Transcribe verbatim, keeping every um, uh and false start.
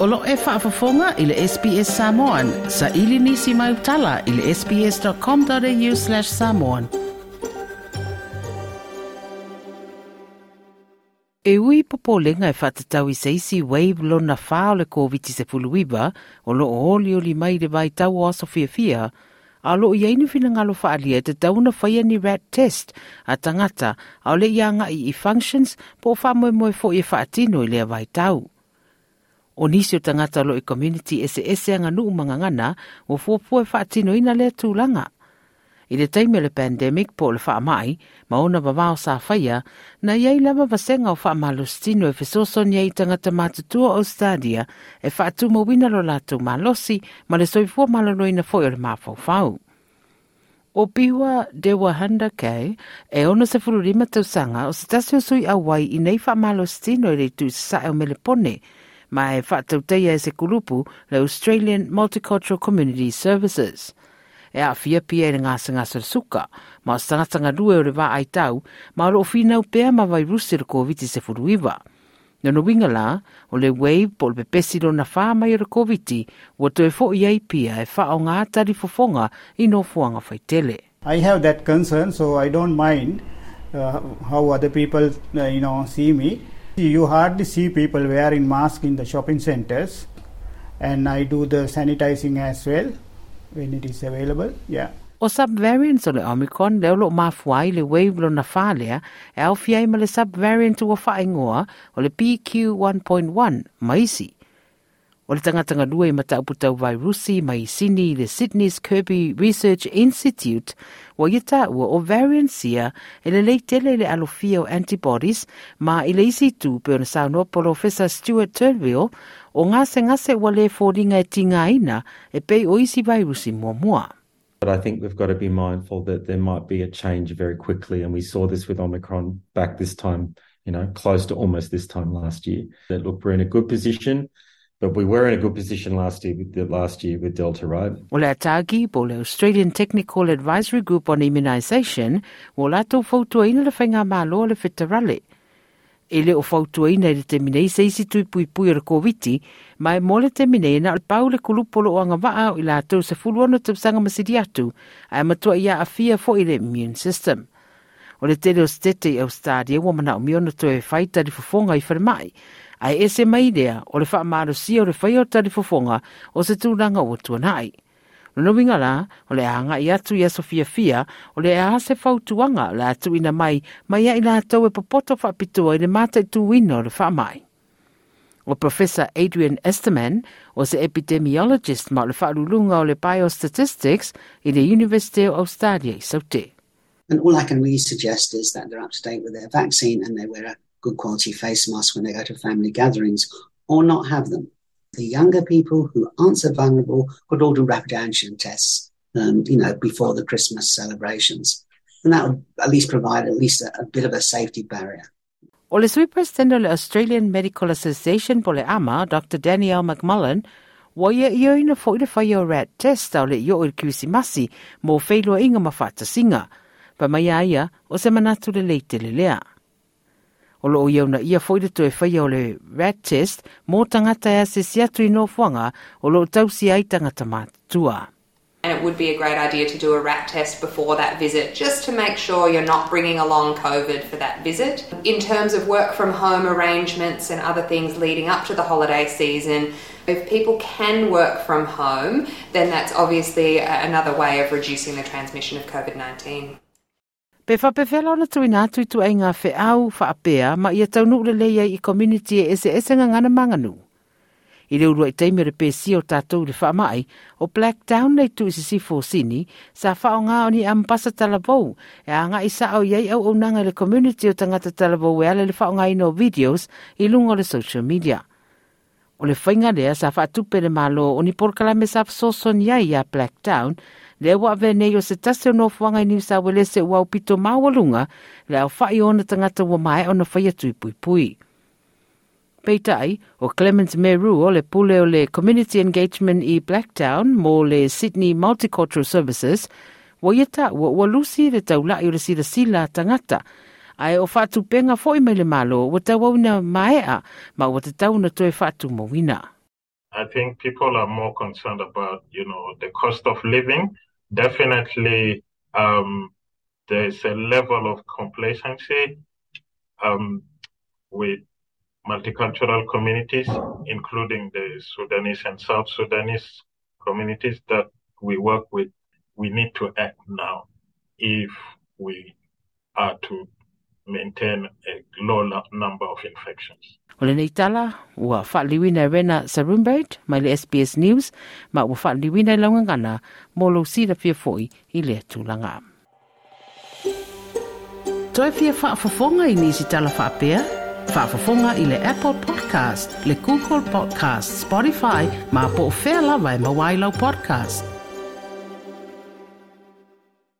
O lo e faafofoga i le S B S Samoan, sa ili nisi mai utala i le S B S dot com dot A U slash samoan. E ui popolenga e faatatau i se isi wave lona whā o le COVID nineteen o lo o oli oli mai le vai tau o aso fiafia, a lo i aini finangalo whaalia e te tauna whaia ni rat test a tangata a o le ianga i i functions po o whaamoemoe fo i e whaatino i lea vai tau. O nisi o tangata lo i community ese ese anga nuu mangangana o fuapua e whaatino ina lea tūlanga. I le taimi o le pandemic po o le faamai, ma ona vavao sa whaia, na iai lava vasenga o whaamalositino e fesoasoani ai i tagata matutua o Australia e whaatumauina lo latou malosi ma le soifua maloloina foi o le mafaufau. O Piwa Dewa Handa K, e ono se fururima tausaga o se tasi o sui auai i nei whaamalositino i le itu sae o Melepone, ma e whaatauteia e se kulupu le Australian Multicultural Community Services. E a fia pia i le ngasangasa le suka, ma o se tagata lue o le vā ai tau, ma o lo o finau pea ma vairusi le COVID nineteen. Nona winga la, o le wave po le pepesi lona whā mai o le COVID, ua toe fo i ai pia e wha o ngā tari fofonga i nofoanga whaitele. I have that concern, so I don't mind uh, how other people, uh, you know, see me. You hardly see people wearing masks in the shopping centers, and I do the sanitizing as well when it is available. Yeah. O subvariants o le Omicron leo lo mafuai le wave lona whalea e au fiai ma le subvariant ua whaingoa o le B Q one point one maisi. O le tangatanga lua i matauputau vairusi mai Sydney le Sydney's Kirby Research Institute wa ia tāua o variants ia e le leitele i le alofia o antibodies ma i le isi tu pe ona saunoa Polofesa Stuart Turnbull o ngase ngase ua le fōringa e tingaina e pei o isi vairusi muamua. But I think we've got to be mindful that there might be a change very quickly. And we saw this with Omicron back this time, you know, close to almost this time last year. That look, we're in a good position, but we were in a good position last year with the last year with Delta, right? O le ATAGI po le Australian Technical Advisory Group on Immunisation o latou fautuaina le whainga malo le federale. E le o fautuaina i le temine i se isi tui pui pui o le COVID, ma e mo le temine na o le pau le kulupolo o anga waa o i latou se fulu ono tausaga masili atu, a e matua ia afia fo i le immune system. O le tele o stete i Australia ua mana o miona toe whai tari fofonga i whalemai, a e ese mai lea o le whaamalosia o le whai o tari fofonga o se tūranga o tuanai. Lona winga la, o le anga i atu i aso fia fia, o le a se fautuanga o le atu ina mai, mai ia i latou e popoto whaapitoa i le mata i tuina o le whaamai. O Professor Adrian Esterman, o se epidemiologist ma o le whaalulunga o le biostatistics i le University of Australia i Saute. And all I can really suggest is that they're up to date with their vaccine and they wear a good quality face mask when they go to family gatherings or not have them. The younger people who aren't so vulnerable could all do rapid antigen tests, um, you know, before the Christmas celebrations. And that would at least provide at least a, a bit of a safety barrier. O le sui president o le Australian Medical Association po le AMA, Doctor Danielle McMullen, wa ia ia ina fo i le whai o rat test au le io o le Kirisimasi mo whailua inga ma whaatasinga. Pa mai a ia o se manatu le leite le lea. O lo o ia una ia fo i le toe whai o le rat test mō tangata e ase si atu i nofoanga o lo o tausi ai tangata mātua. And it would be a great idea to do a rat test before that visit just to make sure you're not bringing along COVID for that visit. In terms of work from home arrangements and other things leading up to the holiday season, if people can work from home, then that's obviously another way of reducing the transmission of COVID nineteen. Pe whapewhela ona tuina atu i tu ai ngā wheau whaapea ma ia taunu le leia i community e ese ese ngā ngana manganu. I le urua i teimi o le pesi o tātou le whaamai, o Blacktown nei tu i sisifo sini, sa whao ngā o ni ampasa talavou, e a ngā i sa au iai au au nanga le community o tangata talavou e ale le whao ngā ino videos i lunga o le social media. O le whainga lea sa whaatupe le malo o ni polokalame sa fesoasoani ai ia Blacktown, lea ua avea nei o se tasi o nofoaga i Niu Sauelese ua aupito maualuga le aofa'i o ona tagata ua maea ona faia tui puipui. Peitai, o Clement Meru o le pule o le Community Engagement i Blacktown mo le Sydney Multicultural Services, ua ia taua ua lusi le taula'i o le silasila a tagata, ae o faatupenga fo'i mai le malo ua tauauina maea ma ua tatau ona toe faatumauina. I think people are more concerned about, you know, the cost of living. Definitely, um, there's a level of complacency um, with multicultural communities, including the Sudanese and South Sudanese communities that we work with. We need to act now if we are to maintain a low number of infections. O lenei tala, ua faaliliuina e Rena Sarumbait mai le S B S News, ma ua faaliliuina i lau gagana mo lou silafia foi i lea tulaga. Toe fia faafofoga i nisi tala faapea? Faafofoga i le Apple Podcast, le Google Podcast, Spotify, ma po o fea lava e maua ai lau podcast.